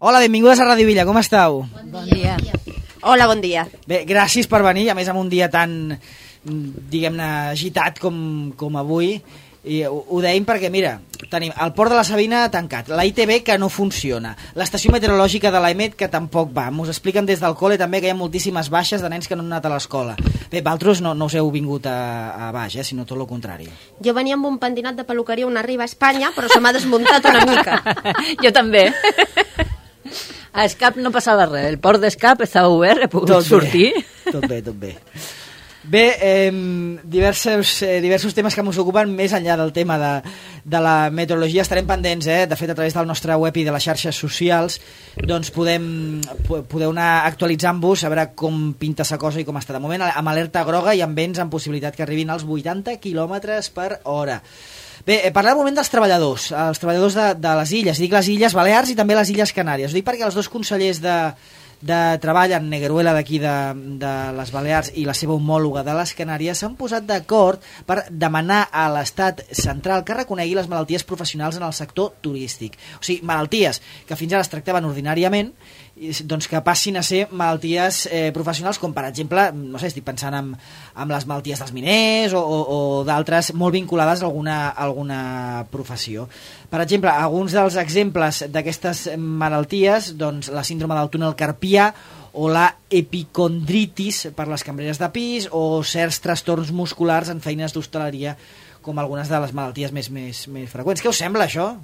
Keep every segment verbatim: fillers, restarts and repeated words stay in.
Hola, benvingudes a Ràdio Villa, com esteu? Bon dia. Hola, bon dia. Bé, gràcies per venir, a més en un dia tan, diguem-ne, agitat com, com avui. I ho, ho deim perquè, mira, tenim el Port de la Sabina tancat, la I T B que no funciona, l'estació meteorològica de l'A E M E T que tampoc va. M'ho expliquen des del col·le també que hi ha moltíssimes baixes de nens que no han anat a l'escola. Bé, vosaltres no, no us heu vingut a, a baix, eh, sinó tot el contrari. Jo venia amb un pentinat de peluqueria una arriba a Espanya, però se m'ha desmuntat una mica. Jo també. A Escap no passava res, el port d'Escap estava obert, he pogut tot sortir. Bé, tot bé, tot bé. Bé, eh, diversos, eh, diversos temes que ens ocupen més enllà del tema de, de la meteorologia. Estarem pendents, eh? De fet, a través del nostre web i de les xarxes socials doncs podem, podeu anar actualitzant-vos a veure com pinta sa cosa i com està. De moment, amb alerta groga i amb vents amb possibilitat que arribin als vuitanta quilòmetres per hora. Bé, eh, parlem un moment dels treballadors, els treballadors de, de les illes, dic les Illes Balears i també les Illes Canàries. Ho dic perquè els dos consellers de, de treball en Negueruela d'aquí de, de les Balears i la seva homòloga de les Canàries s'han posat d'acord per demanar a l'estat central que reconegui les malalties professionals en el sector turístic. O sigui, malalties que fins ara es tractaven ordinàriament, doncs que passin a ser malalties eh, professionals, com per exemple, no sé, estic pensant en, en les malalties dels miners o, o, o d'altres molt vinculades a alguna, a alguna professió. Per exemple, alguns dels exemples d'aquestes malalties, doncs la síndrome del túnel carpià o la epicondritis per les cambreres de pis o certs trastorns musculars en feines d'hostaleria, com algunes de les malalties més, més, més freqüents. Què us sembla, això?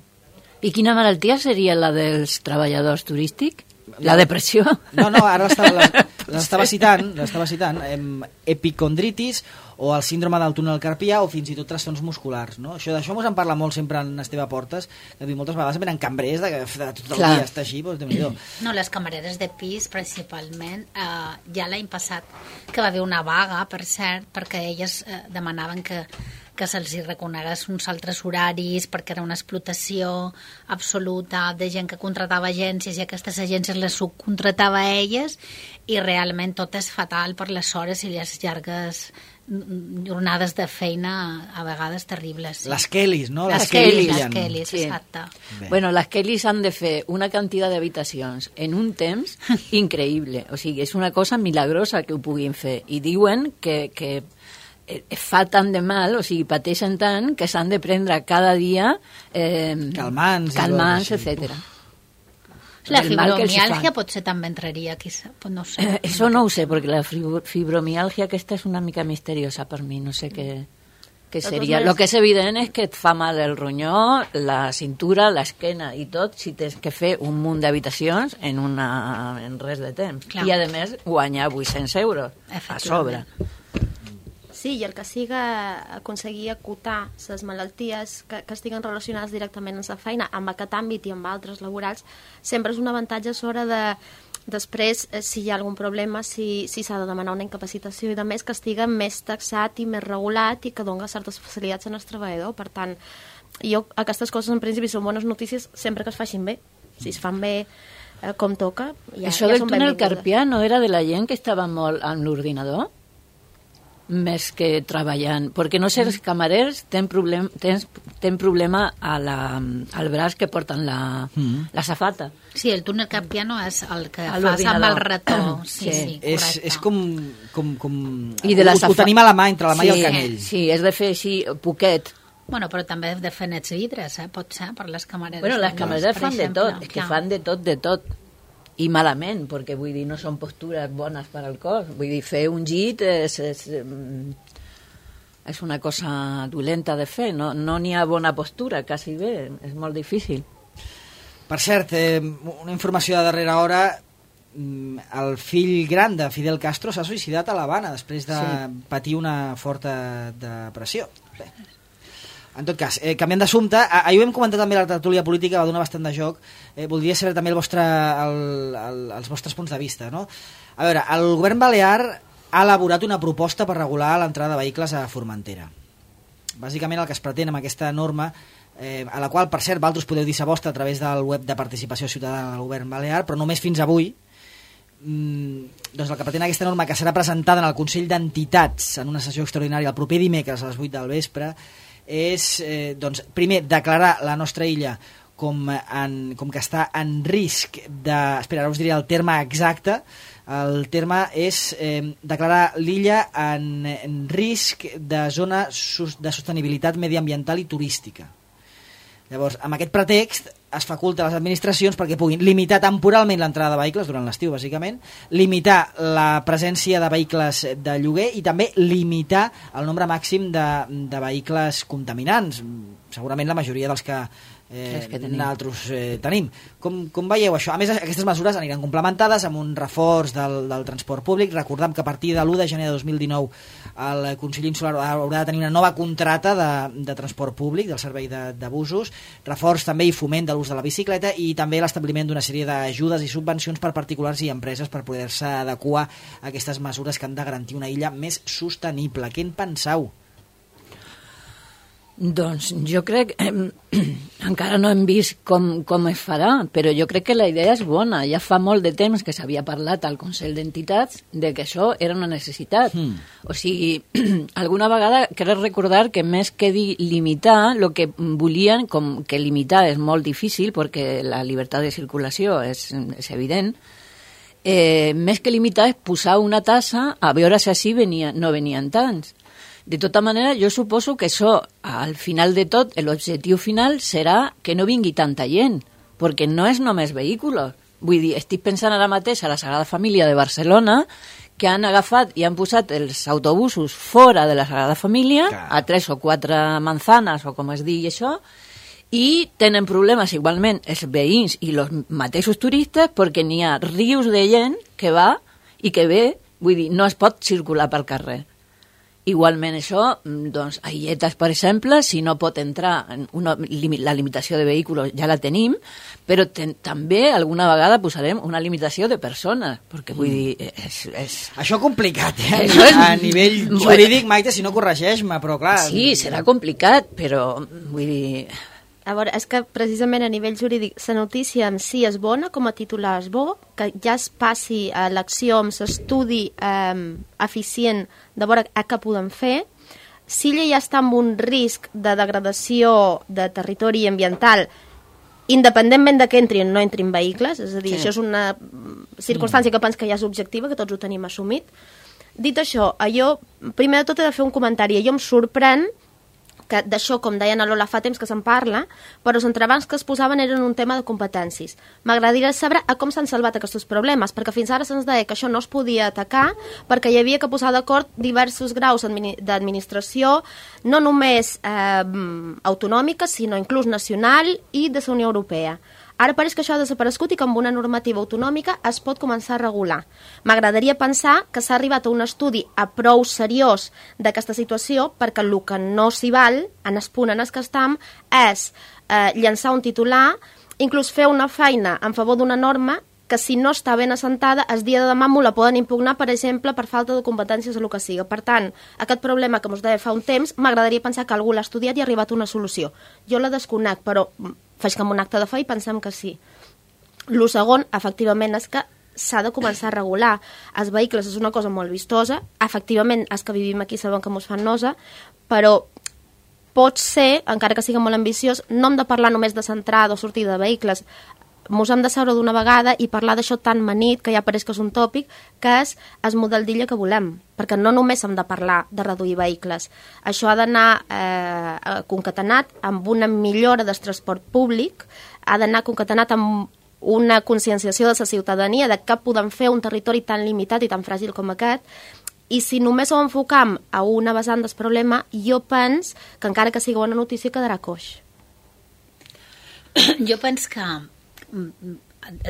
I quina malaltia seria la dels treballadors turístics? La depressió? No, no, ara l'estava citant, l'estava citant, epicondritis o el síndrome del túnel carpià o fins i tot trastorns musculars, no? Això d'això mos en parla molt sempre en Esteve Portes, que diu moltes vegades venen cambrers de, de tot el Clar. dia està així, doncs déu-n'hi-do. No, les camareres de pis principalment, eh, ja l'any passat que va haver una vaga, per cert, perquè elles eh, demanaven que que se'ls reconegués uns altres horaris perquè era una explotació absoluta de gent que contratava agències i aquestes agències les subcontratava a elles i realment tot és fatal per les hores i les llargues jornades de feina a vegades terribles. Sí. Les Kellys, no? Les Kellys. Les Kellys, sí. Exacte. Bé. Bueno, les Kellys han de fer una quantitat d'habitacions en un temps increïble. O sigui, és una cosa milagrosa que ho puguin fer. I diuen que, que fa tant de mal, o sigui, pateixen tant que s'han de prendre cada dia eh, calmants, calmants etcètera. La fibromialgia potser també entraria aquí, no sé. Eh, eso no ho sé, perquè la fibromialgia aquesta és una mica misteriosa per mi, no sé què, què seria. Lo que és evident és que et fa mal el ronyó, la cintura, l'esquena i tot, si tens que fer un munt d'habitacions en, una, en res de temps. Clar. I a més guanyar vuit-cents euros a sobre. Sí, i el que siga aconseguir acotar les malalties que, que estiguen relacionades directament amb la feina, amb aquest àmbit i amb altres laborals, sempre és un avantatge a l'hora de, després, si hi ha algun problema, si s'ha si de demanar una incapacitació i de més, que estigui més taxat i més regulat i que doni certes facilitats al treballador. Per tant, jo, aquestes coses en principi són bones notícies sempre que es facin bé. Si es fan bé eh, com toca, ja, Això ja del són túnel benvingudes. carpià no era de la gent que estava molt amb l'ordinador? Més que treballant, perquè no sé, els camarers tenen problem, tenen, tenen problema a la, al braç que porten la, mm. la safata. Sí, el túnel carpià no és el que fas amb el rató. Sí, sí, sí, és, és com... com, com... I de la ho, ho tenim a la mà, entre la mà sí, i el canell. Sí, és de fer així, poquet. Bueno, però també de fer nets vidres, eh? Pot ser, per les camareres. Bueno, les camareres fan exemple, de tot, és que fan de tot, de tot. I malament, perquè vull dir, no són postures bones per al cos. Vull dir, fer un llit és, és, és una cosa dolenta de fer, no n'hi no ha bona postura, quasi bé, és molt difícil. Per cert, eh, una informació de darrera hora, el fill gran de Fidel Castro s'ha suïcidat a l'Havana després de sí. patir una forta depressió. Bé. En tot cas, eh, canviant d'assumpte, ahir ho hem comentat també a la tertúlia política, va donar bastant de joc, eh, voldria saber també el vostre, el, el, els vostres punts de vista, no? A veure, el govern balear ha elaborat una proposta per regular l'entrada de vehicles a Formentera. Bàsicament el que es pretén amb aquesta norma, eh, a la qual, per cert, vosaltres podeu dir sa vostra a través del web de participació ciutadana del govern balear, però només fins avui, mm, doncs el que pretén aquesta norma, que serà presentada en el Consell d'Entitats en una sessió extraordinària el proper dimecres a les vuit del vespre, és, eh, doncs, primer, declarar la nostra illa com, en, com que està en risc de... Espera, ara us diré el terme exacte. El terme és eh, declarar l'illa en, en risc de zona de sostenibilitat mediambiental i turística. Llavors, amb aquest pretext es faculta a les administracions perquè puguin limitar temporalment l'entrada de vehicles durant l'estiu, bàsicament, limitar la presència de vehicles de lloguer i també limitar el nombre màxim de, de vehicles contaminants. Segurament la majoria dels que Eh, que tenim. Nosaltres eh, tenim. Com, com veieu això? A més, aquestes mesures aniran complementades amb un reforç del, del transport públic. Recordem que a partir de l'u de gener de dos mil dinou el Consell Insular haurà de tenir una nova contracta de, de transport públic, del servei de, de busos, reforç també i foment de l'ús de la bicicleta i també l'establiment d'una sèrie d'ajudes i subvencions per particulars i empreses per poder-se adequar a aquestes mesures que han de garantir una illa més sostenible. Què en penseu? Doncs jo crec, eh, encara no hem vist com, com es farà, però jo crec que la idea és bona. Ja fa molt de temps que s'havia parlat al Consell d'Entitats de que això era una necessitat. Mm. O sigui, alguna vegada crec recordar que més que limitar, el que volien, com que limitar és molt difícil perquè la llibertat de circulació és, és evident, eh, més que limitar és posar una tassa a veure si així venia, no venien tants. De tota manera, jo suposo que això, al final de tot, l'objectiu final serà que no vingui tanta gent, perquè no és només vehicles. Vull dir, estic pensant ara mateix a la Sagrada Família de Barcelona, que han agafat i han posat els autobusos fora de la Sagrada Família, a tres o quatre manzanes, o com es digui això, i tenen problemes igualment els veïns i els mateixos turistes perquè n'hi ha rius de gent que va i que ve, vull dir, no es pot circular pel carrer. Igualment això, doncs, a Illetes, per exemple, si no pot entrar, en una, la limitació de vehicles ja la tenim, però ten, també alguna vegada posarem una limitació de persones, perquè vull dir... És, és... Això complicat, eh? És... A nivell jurídic, Maite, si no corregeix-me, però clar... Sí, serà complicat, però vull dir... A veure, és que precisament a nivell jurídic la notícia en si és bona, com a titular és bo, que ja es passi a l'acció amb l'estudi eh, eficient de veure a què podem fer. Si ella ja està amb un risc de degradació de territori ambiental, independentment de que entrin o no entrin vehicles, és a dir, sí. Això és una circumstància que penso que ja és objectiva, que tots ho tenim assumit. Dit això, jo, primer de tot he de fer un comentari. Jo em sorprèn que d'això, com deien a Lola, fa temps que se'n parla, però els entrebancs que es posaven eren un tema de competències. M'agradaria saber a com s'han salvat aquests problemes, perquè fins ara se'ns deia que això no es podia atacar perquè hi havia que posar d'acord diversos graus d'administració, no només eh, autonòmica, sinó inclús nacional i de la Unió Europea. Ara pareix que això ha desaparegut i que amb una normativa autonòmica es pot començar a regular. M'agradaria pensar que s'ha arribat a un estudi a prou seriós d'aquesta situació perquè el que no s'hi val, en el punt en el que estem, és eh, llançar un titular, inclús fer una feina en favor d'una norma que si no està ben assentada, el dia de demà m'ho la poden impugnar, per exemple, per falta de competències o el que siga. Per tant, aquest problema que us deia fa un temps, m'agradaria pensar que algú l'ha estudiat i ha arribat a una solució. Jo la desconec, però faig com un acte de fe i pensem que sí. El segon, efectivament, és que s'ha de començar a regular. Els vehicles és una cosa molt vistosa, efectivament, els que vivim aquí sabem que mos fan nosa, però pot ser, encara que sigui molt ambiciós, no hem de parlar només de centrada o sortida de vehicles, mos hem de seure d'una vegada i parlar d'això tan manit, que ja pareix que és un tòpic, que és el model d'illa que volem, perquè no només hem de parlar de reduir vehicles. Això ha d'anar eh, concatenat amb una millora del transport públic, ha d'anar concatenat amb una conscienciació de la ciutadania de què podem fer un territori tan limitat i tan fràgil com aquest, i si només ho enfocam a una vessant del problema, jo penso que encara que sigui una notícia quedarà coix. Jo penso que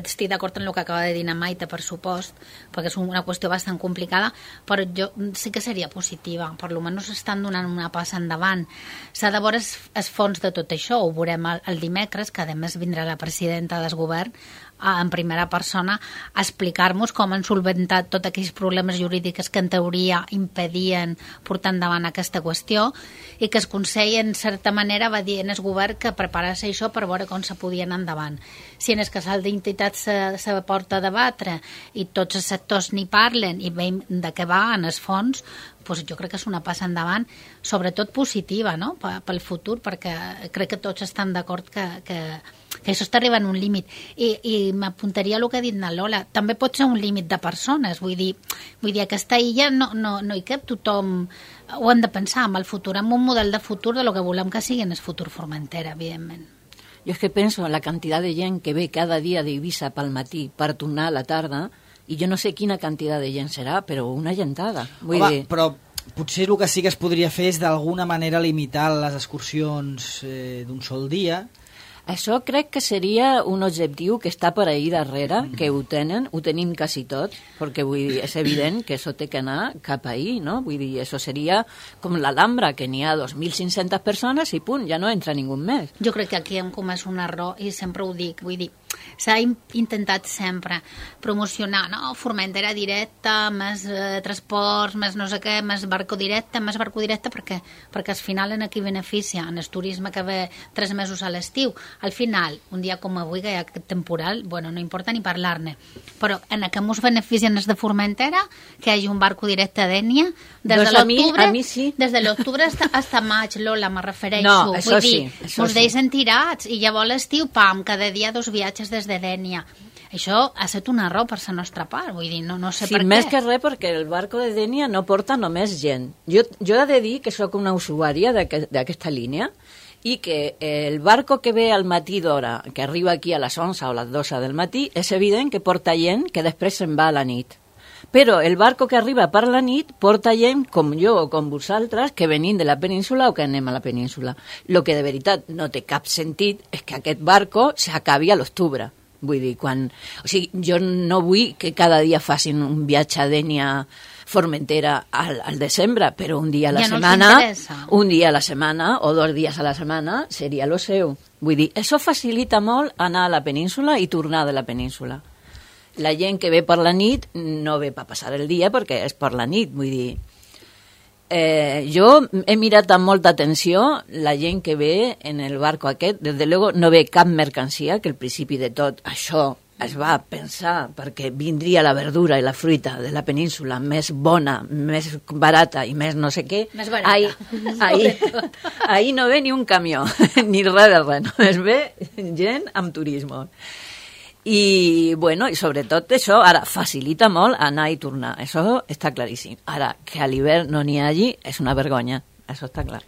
estic d'acord amb el que acaba de dir Maite, per supost, perquè és una qüestió bastant complicada, però jo sí que seria positiva, per almenys estan donant una passa endavant. S'ha de veure els fons de tot això, ho veurem el, el dimecres, que a més vindrà la presidenta del govern en primera persona a explicar-nos com han solventat tots aquells problemes jurídics que en teoria impedien portar endavant aquesta qüestió, i que el Consell en certa manera va dir en el govern que preparés això per veure com se podia anar endavant. Si en el casal d'Interior entitats se, se porta a debatre i tots els sectors n'hi parlen i veiem de què va en els fons, doncs jo crec que és una passa endavant, sobretot positiva, no?, pel futur, perquè crec que tots estan d'acord que, que, que això està arribant a un límit. I, i m'apuntaria a el que ha dit na Lola, també pot ser un límit de persones, vull dir, vull dir aquesta illa no, no, no hi cap tothom, ho hem de pensar amb el futur, amb un model de futur de lo que volem que sigui en el futur Formentera, evidentment. Jo és que penso en la quantitat de gent que ve cada dia d'Eivissa pel matí per tornar a la tarda, i jo no sé quina quantitat de gent serà, però una gentada. Vull Home, dir... però potser el que sí que es podria fer és d'alguna manera limitar les excursions eh, d'un sol dia. Això crec que seria un objectiu que està per ahí darrere, que ho tenen, ho tenim quasi tot, perquè vull dir, és evident que això té que anar cap ahí, no? Vull dir, això seria com l'Alhambra, que n'hi ha dos mil cinc-centes persones i punt, ja no entra ningú més. Jo crec que aquí hem comès un error i sempre ho dic, vull dir, s'ha intentat sempre promocionar, no?, Formentera directa, més eh, transports, més no sé què, més barco directe, més barco directe, perquè, perquè al final en aquí beneficia, en el turisme que ve tres mesos a l'estiu. Al final, un dia com avui, que hi ha aquest temporal, bueno, no importa ni parlar-ne, però en què ens beneficien els de Formentera, que hi hagi un barco directe a Dénia, des doncs de l'octubre a mi, a mi sí. des de l'octubre fins a maig, Lola, me refereixo. No, això vull dir, sí, això us sí. deixen tirats, i llavors l'estiu, pam, cada dia dos viatges des de Dénia. Això ha estat un error per la nostra part, vull dir, no, no sé sí, per què. Més que res perquè el barco de Dénia no porta només gent. Jo, jo he de dir que sóc una usuària d'aquesta línia i que el barco que ve al matí d'hora, que arriba aquí a les onze o les doze del matí, és evident que porta gent que després se'n va a la nit. Però el barco que arriba per la nit porta gent com jo o com vosaltres que venim de la península o que anem a la península. El que de veritat no té cap sentit és que aquest barco s'acabi a l'octubre. Vull dir, quan... O sigui, jo no vull que cada dia facin un viatge a Dénia Formentera al, al desembre, però un dia a la ja setmana, no un dia a la setmana o dos dies a la setmana seria lo seu. Vull dir, això facilita molt anar a la península i tornar de la península. La gent que ve per la nit no ve per passar el dia perquè és per la nit, vull dir... Eh, jo he mirat amb molta atenció la gent que ve en el barco aquest, des de luego no ve cap mercancia, que al principi de tot això es va pensar perquè vindria la verdura i la fruita de la península més bona, més barata i més no sé què. Més barata. Ahí, ahí, ahí no ve ni un camió, ni res de res, només ve gent amb turisme. I, bueno, i sobretot això, ara, facilita molt anar i tornar. Això està claríssim. Ara, que a l'hivern no n'hi hagi, és una vergonya. Això està clar.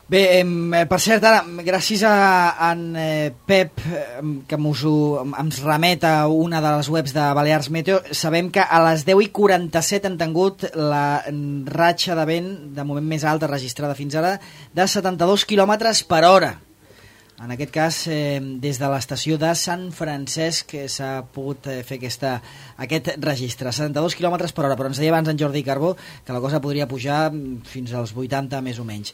Bé, eh, per cert, ara, gràcies a en eh, Pep, eh, que mos ho, ens remet a una de les webs de Balears Meteo, sabem que a les deu i quaranta-set han tingut la ratxa de vent de moment més alta registrada fins ara de setanta-dos quilòmetres per hora. En aquest cas, eh, des de l'estació de Sant Francesc s'ha pogut eh, fer aquesta, aquest registre, setanta-dos quilòmetres per hora, però ens deia abans en Jordi Carbó que la cosa podria pujar fins als vuitanta més o menys.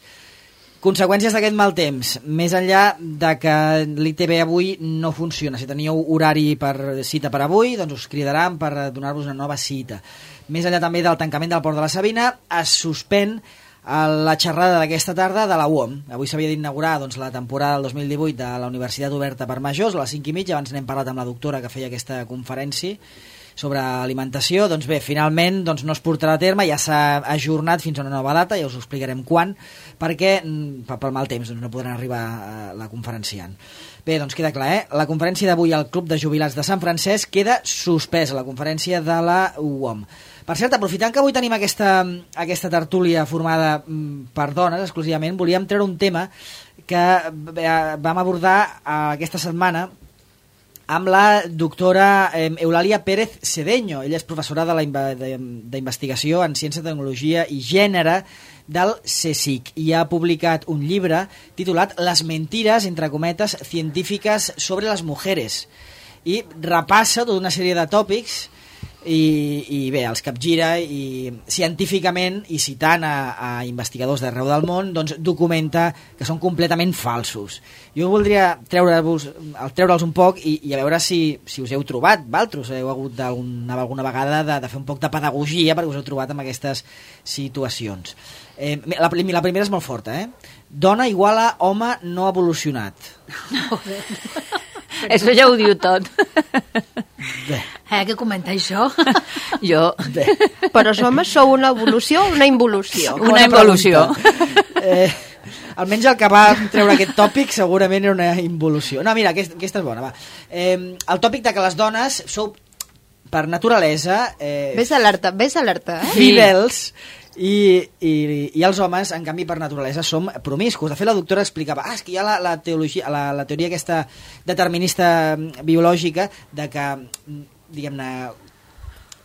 Conseqüències d'aquest mal temps, més enllà de que l'I T B avui no funciona. Si teníeu horari per cita per avui, doncs us cridaran per donar-vos una nova cita. Més enllà també del tancament del Port de la Sabina, es suspèn a la xerrada d'aquesta tarda de la U O M. Avui s'havia d'inaugurar doncs, la temporada del dos mil divuit de la Universitat Oberta per Majors, a les cinc i mitja, abans n'hem parlat amb la doctora que feia aquesta conferència sobre alimentació. Doncs bé, finalment doncs, no es portarà a terme, ja s'ha ajornat fins a una nova data, ja us ho explicarem quan, perquè pel mal temps doncs, no podran arribar a la conferenciant. Bé, doncs queda clar, eh? La conferència d'avui al Club de Jubilats de Sant Francesc queda suspesa, la conferència de la U O M. Per cert, aprofitant que avui tenim aquesta, aquesta tertúlia formada per dones exclusivament, volíem treure un tema que vam abordar aquesta setmana amb la doctora Eulàlia Pérez Cedeño. Ella és professora d'investigació en ciència, tecnologia i gènere del CSIC i ha publicat un llibre titulat Les mentiras, entre cometes, científiques sobre les mujeres, i repassa tota una sèrie de tòpics i, i bé, els capgira i científicament i citant a, a investigadors d'arreu del món doncs documenta que són completament falsos. Jo voldria treure-vos treure-los un poc i, i a veure si, si us heu trobat, valtros, heu hagut d'alguna, alguna vegada de, de fer un poc de pedagogia perquè us heu trobat en aquestes situacions. Eh, la, la primera és molt forta, eh? Dona igual a home no evolucionat. Això ja ho diu tot. Bé. Eh, què comenta això? Jo... Bé. Però els homes sou una evolució o una involució? Una Bona involució. pregunta. Eh, almenys el que va treure aquest tòpic segurament era una involució. No, mira, aquesta, aquesta és bona, va. Eh, el tòpic de que les dones sou, per naturalesa... Eh, Ves alerta, ves alerta, eh? fidels i, i, i els homes, en canvi, per naturalesa som promiscus. De fet, la doctora explicava ah, és que hi ha la, la, teologia, la, la teoria aquesta determinista biològica de que, diguem-ne,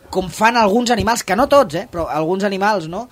com fan alguns animals, que no tots, eh, però alguns animals, no?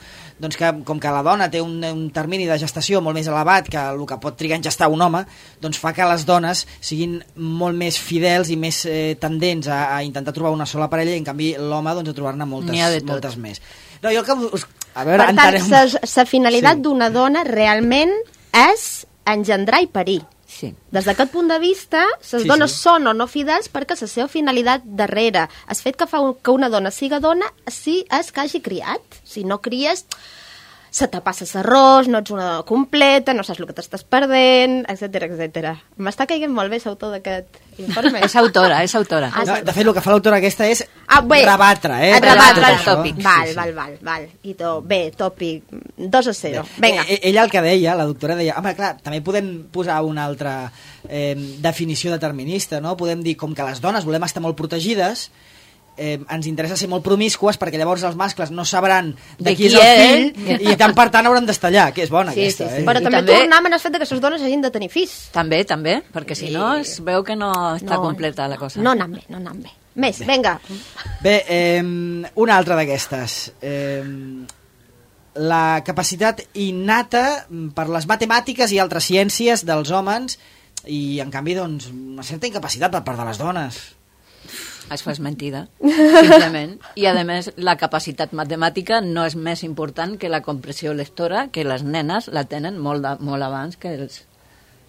Doncs que com que la dona té un, un termini de gestació molt més elevat que el que pot trigar en gestar un home, doncs fa que les dones siguin molt més fidels i més eh, tendents a, a intentar trobar una sola parella i en canvi l'home doncs, a trobar-ne moltes, moltes més. No, jo el que us... A veure, per tant, entenem... la finalitat Sí. d'una dona realment és engendrar i parir. Sí. Des d'aquest punt de vista, les Sí, dones sí. són o no fidels perquè la seva finalitat darrere, el fet que fa un, que una dona siga dona, sí és que hagi criat. Si no cries, se te passa l'arròs, no ets una dona completa, no saps el que t'estàs perdent, etcètera, etcètera. M'està caient molt bé l'autor d'aquest informe. És autora, és autora. Ah, No, de fet, el que fa l'autora aquesta és Ah, bé, rebatre, eh? et rebatre tot el això. tòpic. Sí, Val, sí. val, val, val. I to, bé, tòpic dos a zero. Vinga. Eh, ella el que deia, la doctora deia, home, clar, també podem posar una altra eh, definició determinista, no? Podem dir, com que les dones volem estar molt protegides, eh, ens interessa ser molt promiscues perquè llavors els mascles no sabran de, De qui és qui el és. fill i tant per tant hauran d'estallar, que és bona Sí, aquesta, sí, eh? sí. Però I també, també- tornem al fet que les dones hagin de tenir fills. També, també, perquè si no es veu que no està completa la cosa. No anant bé, no anant bé. Més, vinga. Bé, eh, una altra d'aquestes. Eh, la capacitat innata per les matemàtiques i altres ciències dels homes i, en canvi, doncs, una certa incapacitat per part de les dones. Això és mentida, simplement. I, a més, la capacitat matemàtica no és més important que la compressió lectora, que les nenes la tenen molt, de, molt abans que els,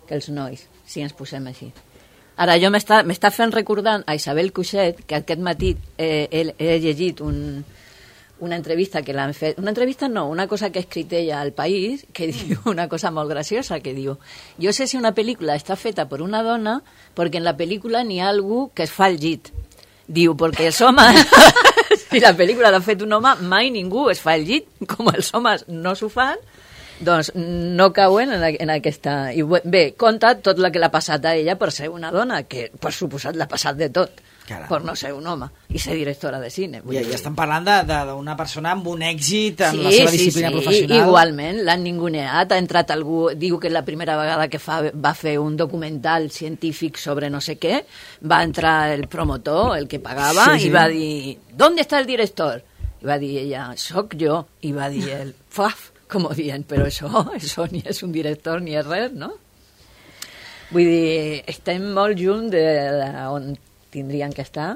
que els nois, si ens posem així. Ara, jo m'està m'està fent recordant a Isabel Cuixet, que aquest matí eh, he, he llegit un, una entrevista que l'han fet... Una entrevista no, una cosa que ha escrit ella al País, que diu una cosa molt graciosa, que diu jo sé si una pel·lícula està feta per una dona perquè en la pel·lícula n'hi ha algú que es fa el llit. Diu, perquè els homes, si la pel·lícula l'ha fet un home, mai ningú es fa el llit, com els homes no s'ho fan, doncs no cauen en, en aquesta... I bé, conta tot el que l'ha passat a ella per ser una dona, que per suposat l'ha passat de tot, Caram. per no ser un home, i ser directora de cine. Vull I, dir. i estem parlant de- de- d'una persona amb un èxit en Sí, la seva sí, disciplina sí, professional. igualment, l'han ninguneat, ha entrat algú, diu que la primera vegada que fa, va fer un documental científic sobre no sé què, va entrar el promotor, el que pagava, Sí, sí. i va dir, ¿dónde está el director? I va dir ella, soc jo, i va dir ell, faf, com dient, però això, això ni és un director ni és res, no? Vull dir, estem molt lluny de, de on tindrien que estar,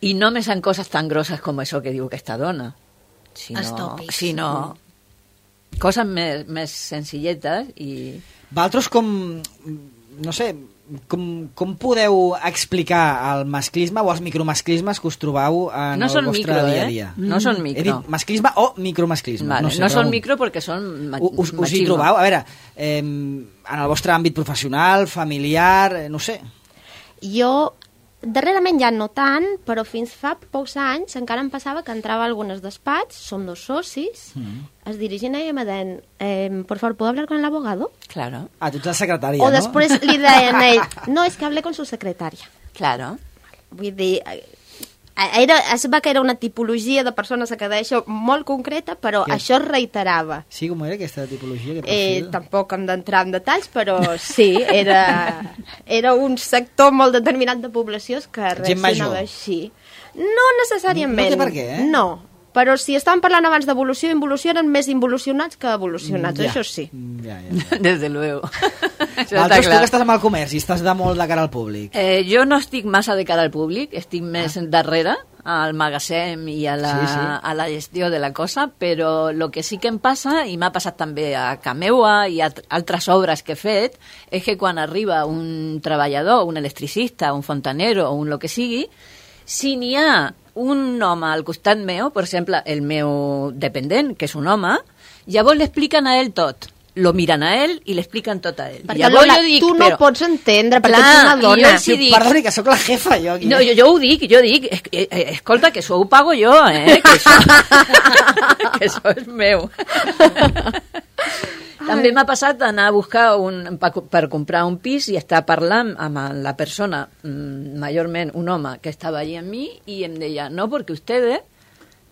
i no més en coses tan grosses com això que diu aquesta dona, sinó, Els tòpics. sinó coses més, més senzilletes i... Valtros com... No sé, com, com podeu explicar el masclisme o els micromasclismes que us trobeu en No el són vostre micro, dia a eh? dia? No són He micro. dit masclisme o micromasclisme. Vale, no, no, sé, no són pregunto. micro perquè són ma U- Us, us hi machisme. trobeu? A veure, eh, en el vostre àmbit professional, familiar, eh, no sé. Jo, darrerament ja no tant, però fins fa pocs anys encara em passava que entrava a algunes despatx, som dos socis, Mm. es dirigien a ella i me deien, eh, por favor, ¿puedo hablar con el abogado? Claro, Ah, tu ets la secretària, O no? després li deien a ell, no, és que hablé con su secretària. claro. Vull dir, eh, era, es va que era una tipologia de persones que deixa molt concreta, però Què? això es reiterava. Sí, com era aquesta tipologia? Aquest Eh, perfil? tampoc hem d'entrar en detalls, però sí, era, era un sector molt determinat de població que Gent major. reaccionava així. No necessàriament. No té per què, eh? No, però si estàvem parlant abans d'evolució, involució eren més involucionats que evolucionats, Ja. això sí. Mm, Ja, ja. ja. Desde luego. Això està Valtros, tu clar. que estàs amb el comerç i estàs de molt de cara al públic. Eh, jo no estic massa de cara al públic, estic més ah. darrere, al magatzem i a la, Sí, sí. a la gestió de la cosa, però el que sí que em passa, i m'ha passat també a Cameua i a altres obres que he fet, és que quan arriba un treballador, un electricista, un fontanero o un lo que sigui, si n'hi ha un home al costat meu, per exemple, el meu dependent, que és un home, llavors li expliquen a ell tot. lo miren a ell i l'expliquen tot a ell. Perquè Lola, jo dic, tu no però... pots entendre, perquè clar, ets una dona. Sí, dic... Perdoni, que sóc la jefa, jo. Aquí. No, jo, jo ho dic, jo dic, es, eh, eh, escolta, que això ho pago jo, eh? Que això, que això és meu. També m'ha passat d'anar a buscar un, per, per comprar un pis i estar parlant amb la persona, majorment un home, que estava allí amb mi, i em deia, no, perquè ustedes...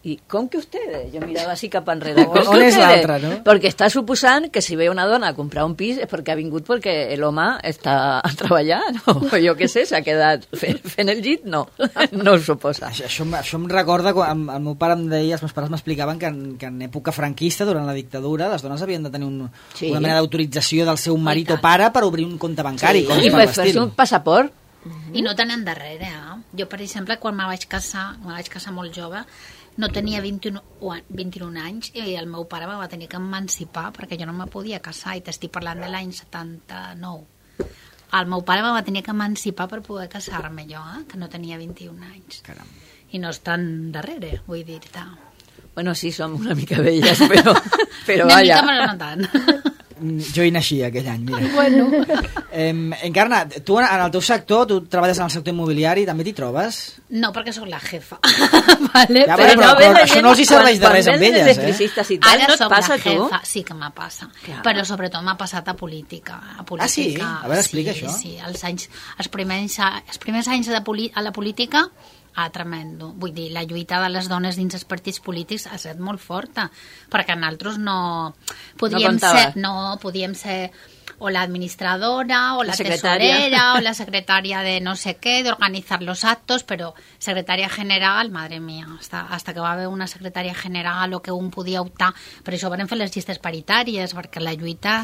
I com que ustedes? Jo mirava així cap enrere. On, on és l'altre, no? Perquè està suposant que si ve una dona a comprar un pis és perquè ha vingut perquè l'home està treballant, o jo què sé, s'ha quedat fent, fent el llit, no, no ho suposa. Això, això, això em recorda, quan el meu pare em deia, els meus pares m'explicaven que, en, que en època franquista, durant la dictadura, les dones havien de tenir un, sí. una mena d'autorització del seu marit o pare per obrir un compte bancari. Sí. I per fer-se un passaport. I no tenen darrere, eh? Jo, per exemple, quan me vaig casar, me vaig casar molt jove, no tenia vint-i-un, vint-i-un anys i el meu pare me va tenir que emancipar perquè jo no me podia casar, i t'estic parlant de l'any setanta-nou. El meu pare me va tenir que emancipar per poder casar-me jo, eh? Que no tenia vint-i-un anys. Caram. I no estan darrere, vull dir-te. Bueno, sí, som una mica velles, però, però una vaja. Una mica, però no tant. Jo hi naixia aquell any, mira. Bueno. Eh, Encarna, tu en el teu sector, tu treballes en el sector immobiliari, també t'hi trobes? No, perquè sóc la jefa. Vale? Ja, però, però, però, però això no els hi serveix de res amb elles, eh? I tal, ara no et soc passa, la jefa, tu? sí que m'ha passat, Clar. però sobretot m'ha passat a política. A política ah, sí? A veure, explica sí, això. Sí, els, anys, els, primers, els primers anys de poli, a la política, ah, tremendo. Vull dir, la lluita de les dones dins els partits polítics ha estat molt forta, perquè nosaltres no... Podíem no ser, no, podíem ser o la administradora, o la, la secretaria. tesorera, o la secretaria de no sé qué, de organizar los actos, pero secretaria general, madre mía, hasta, hasta que va haver una secretaria general o que un podia optar, per això van fer les llistes paritàries, perquè la lluita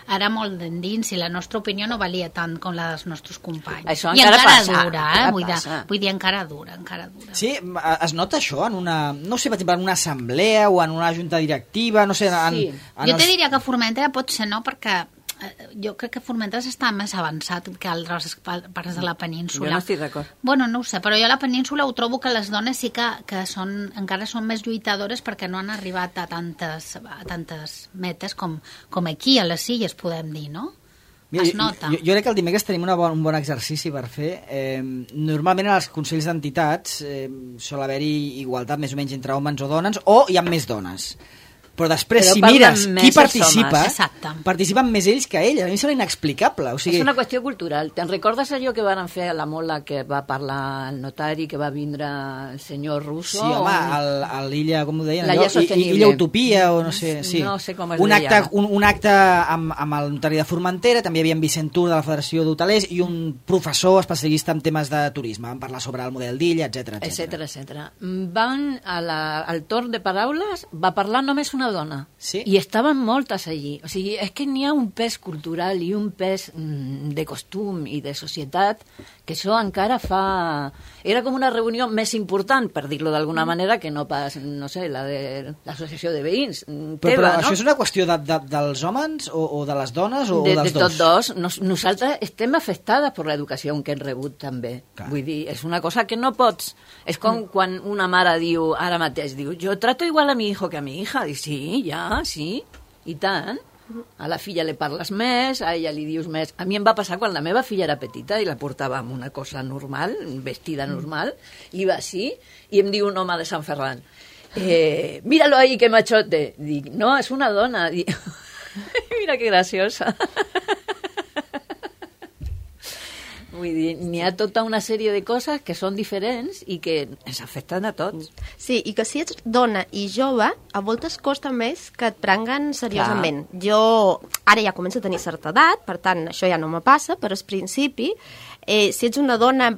era molt d'endins i la nostra opinió no valia tant com la dels nostres companys. Això I encara encara passa, dura, eh? encara Vull, de, passa. vull dir, encara dura, encara dura. Sí, es nota això en una, no sé, per exemple, en una assemblea o en una junta directiva, no sé... En, Sí. en Jo els... te diria que Formentera pot ser no, perquè jo crec que Formentera està més avançat que altres parts de la península. Jo no estic d'acord. Bueno, no ho sé, però jo a la península ho trobo que les dones sí que, que són, encara són més lluitadores perquè no han arribat a tantes, a tantes metes com, com aquí a les Illes, podem dir, no? Mira, Es nota. Jo, jo crec que el dimecres tenim una bon, un bon exercici per fer. Eh, normalment als consells d'entitats eh, sol haver-hi igualtat més o menys entre homes o dones, o hi ha més dones. Però després, Però si parlen mires més qui els participa, Exacte. participen més ells que elles. A mi em sembla inexplicable. O sigui... És una qüestió cultural. Te'n recordes allò que van fer a la Mola, que va parlar el notari, que va vindre el senyor Russo? Sí, home, o... el, el l'illa, com ho deien? L'illa allò? I- sostenible. Illa Utopia, o no sé... Sí. No sé com es un deia. acte, un, un acte amb, amb el notari de Formentera, també hi havia en Vicent Tur de la Federació d'Hotelers i un professor especialista en temes de turisme. Van parlar sobre el model d'illa, etcètera, etcètera, etcètera. Van a la, al torn de paraules, va parlar només una dona. Sí? I estaven moltes allí. O sigui, és que n'hi ha un pes cultural i un pes mm, de costum i de societat que això encara fa... Era com una reunió més important, per dir-lo d'alguna manera, que no pas, no sé, la de l'associació de veïns. Però, Teva, però no? això és una qüestió de, de, dels homes o, o de les dones o, de, o dels de tots dos? dos. Nos, nosaltres estem afectades per l'educació que hem rebut també. Clar. Vull dir, és una cosa que no pots... És com quan una mare diu, ara mateix, diu, jo trato igual a mi hijo que a mi hija. Diu, sí, ja, sí, i tant. A la filla li parles més, a ella li dius més. A mi em va passar quan la meva filla era petita i la portava amb una cosa normal, vestida normal, i va així, i em diu un home de Sant Ferran, eh, míralo ahí que machote. Dic, no, és una dona. Dic, mira que graciosa. Vull dir, n'hi ha tota una sèrie de coses que són diferents i que ens afecten a tots. Sí, i que si ets dona i jove, a voltes costa més que et prenguen seriosament. Clar. Jo ara ja començo a tenir certa edat, per tant, això ja no me passa, però al principi, eh, si ets una dona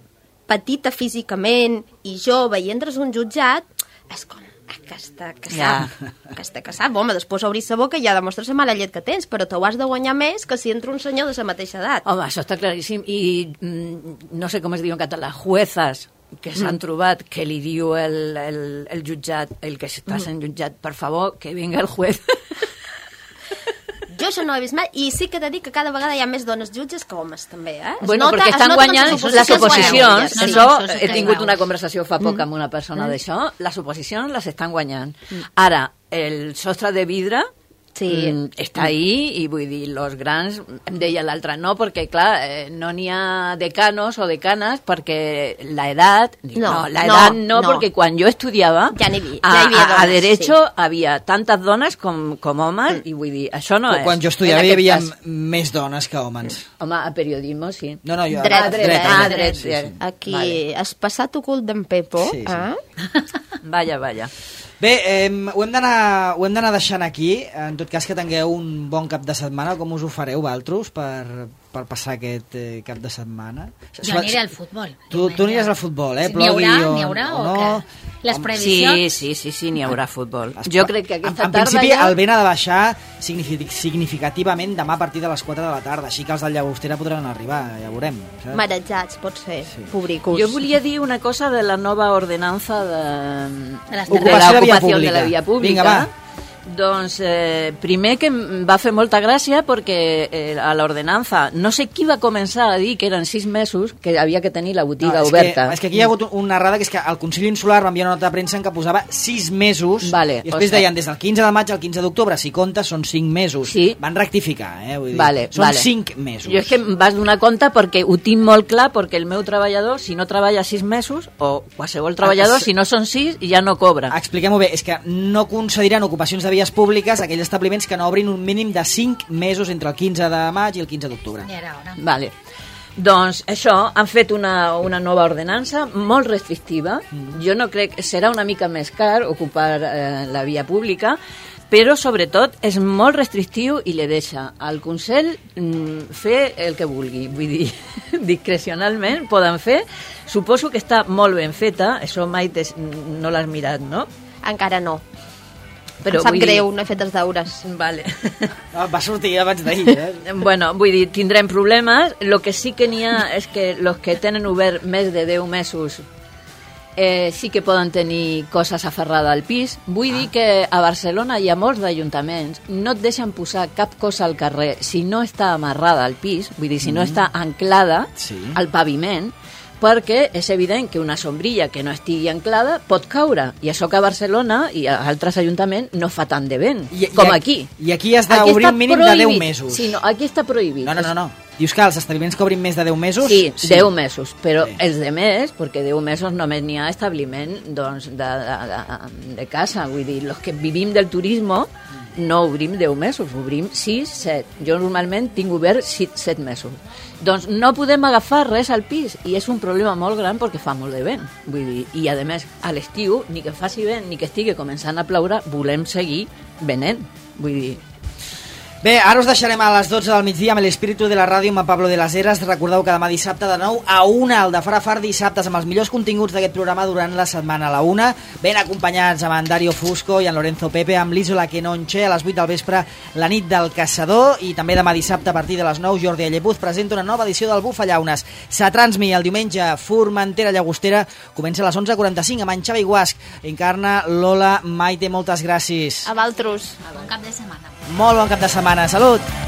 petita físicament i jove i entres a un jutjat, és com, que està casat, ja. que està casat. Home, després obris la boca i ja demostres la mala llet que tens, però t'ho has de guanyar més que si entra un senyor de la mateixa edat. Home, això està claríssim. I mm, no sé com es diu en català, juezas que s'han mm. trobat, que li diu el, el, el jutjat, el que està sent jutjat, per favor, que vinga el juez. Jo això no ho he vist mai, i sí que he de dir que cada vegada hi ha més dones jutges que homes, també, eh? Es bueno, nota, perquè estan guanyant les oposicions. Les oposicions sí, això, això sí he tingut veus. una conversació fa poc Mm. amb una persona Mm. d'això, les oposicions les estan guanyant. Mm. Ara, el sostre de vidre Sí. Mm, està ahí, i vull dir, los grans, em deia l'altre, no, perquè, clar, eh, no n'hi ha decanos o decanes, perquè la edat, dic, No, no, la no, edat no, no. perquè quan jo estudiava, Ja n'hi havia- a, ja hi havia a, a dones, Derecho sí. havia tantes dones com, com homes, i vull dir, això no és. Quan jo estudiava en hi aquest havia cas. més dones que homes. Home, a periodisme, sí. No, no, jo... Dret, Ah, dret, dret, ah, dret, dret, sí, dret. sí. Aquí Vale. has passat ocult d'en Pepo, Sí, sí. eh? Vaja, vaja. Bé, eh, ho hem d'anar ho hem d'anar deixant aquí. En tot cas, que tingueu un bon cap de setmana. Com us ho fareu, vosaltres, per, per passar aquest eh, cap de setmana? Jo aniré al futbol. Tu, tu aniràs al futbol, eh? Sí, n'hi haurà, Plogui o- n'hi haurà o, o no? què? Les Sí, previsions... sí, sí, sí, n'hi haurà futbol. Es- Jo crec que aquesta en, en tarda principi ja... el vent ha de baixar signifi- significativament demà a partir de les quatre de la tarda, així que els de Llagostera podran arribar, ja veurem. Saps? Marejats, pot ser, Sí. pobricos. Jo volia dir una cosa de la nova ordenança de, De les de Ocupació de via l'ocupació de la pública. via pública. Vinga, va. Doncs, eh, primer que em va fer molta gràcia perquè eh, a l'ordenança, no sé qui va començar a dir que eren sis mesos que havia que tenir la botiga és oberta. Que, és que aquí hi ha hagut una errada, que és que el Consell Insular va enviar una nota de premsa en què posava sis mesos, Vale, i després o sigui- deien des del quinze de maig al quinze d'octubre, si comptes són cinc mesos. Sí. Van rectificar, eh? Vull dir, Vale, són vale. cinc mesos. Jo és que em vas donar compte perquè ho tinc molt clar, perquè el meu treballador, si no treballa sis mesos, o qualsevol treballador, Ah, sí. si no són sis, ja no cobra. Expliquem-ho bé, és que no concediran ocupacions de vies públiques a aquells establiments que no obrin un mínim de cinc mesos entre el quinze de maig i el quinze d'octubre. Ja era hora. Vale. Doncs això, han fet una, una nova ordenança molt restrictiva. Mm. Jo no crec... Serà una mica més car ocupar eh, la via pública, però sobretot és molt restrictiu i li deixa al Consell mm, fer el que vulgui. Vull dir, discrecionalment poden fer. Suposo que està molt ben feta. Això mai tes, no l'has mirat, no? Encara no. Però Em sap vull dir- greu, no he fet els deures. Vale. Ah, va sortir abans d'ahir, eh? Bueno, vull dir, tindrem problemes. Lo que sí que n'hi ha és que los que tenen obert més de deu mesos eh, sí que poden tenir coses aferrades al pis. Vull ah. dir que a Barcelona hi ha molts d'ajuntaments, no et deixen posar cap cosa al carrer si no està amarrada al pis, vull dir, si no està anclada Sí. al paviment, perquè és evident que una sombrilla que no estigui anclada pot caure, i això que a Barcelona i a altres ajuntaments no fa tant de vent, I- i com aquí- aquí. i aquí has d'obrir Aquí està un mínim de deu prohibit. mesos. Sí, no, aquí està prohibit. No, no, no, no. Dius que els establiments que obrin més de deu mesos... Sí, deu mesos, però Sí. els de més, perquè deu mesos només n'hi ha establiment doncs, de, de, de, de casa, vull dir, els que vivim del turisme no obrim deu mesos, obrim sis, set. Jo normalment tinc obert set mesos. Doncs no podem agafar res al pis i és un problema molt gran perquè fa molt de vent. Vull dir, i a més, a l'estiu, ni que faci vent ni que estigui començant a ploure, volem seguir venent. Vull dir, Bé, ara us deixarem a les dotze del migdia amb l'Espíritu de la Ràdio amb en Pablo de las Heras. Recordeu que demà dissabte de nou a una, el de Fara Far dissabtes, amb els millors continguts d'aquest programa durant la setmana a la una, ben acompanyats amb en Dario Fusco i en Lorenzo Pepe, amb l'Isola Quenonche a les vuit del vespre, la nit del Caçador, i també demà dissabte a partir de les nou Jordi Allepuz presenta una nova edició del Bufallaunes. Satransmi, el diumenge, Formentera Llagostera, comença a les onze quaranta-cinc amb en Xavi Guasc. Encarna Lola Maite, moltes gràcies. A Valtros. Bon cap de setmana. Molt bon cap de setmana, salut!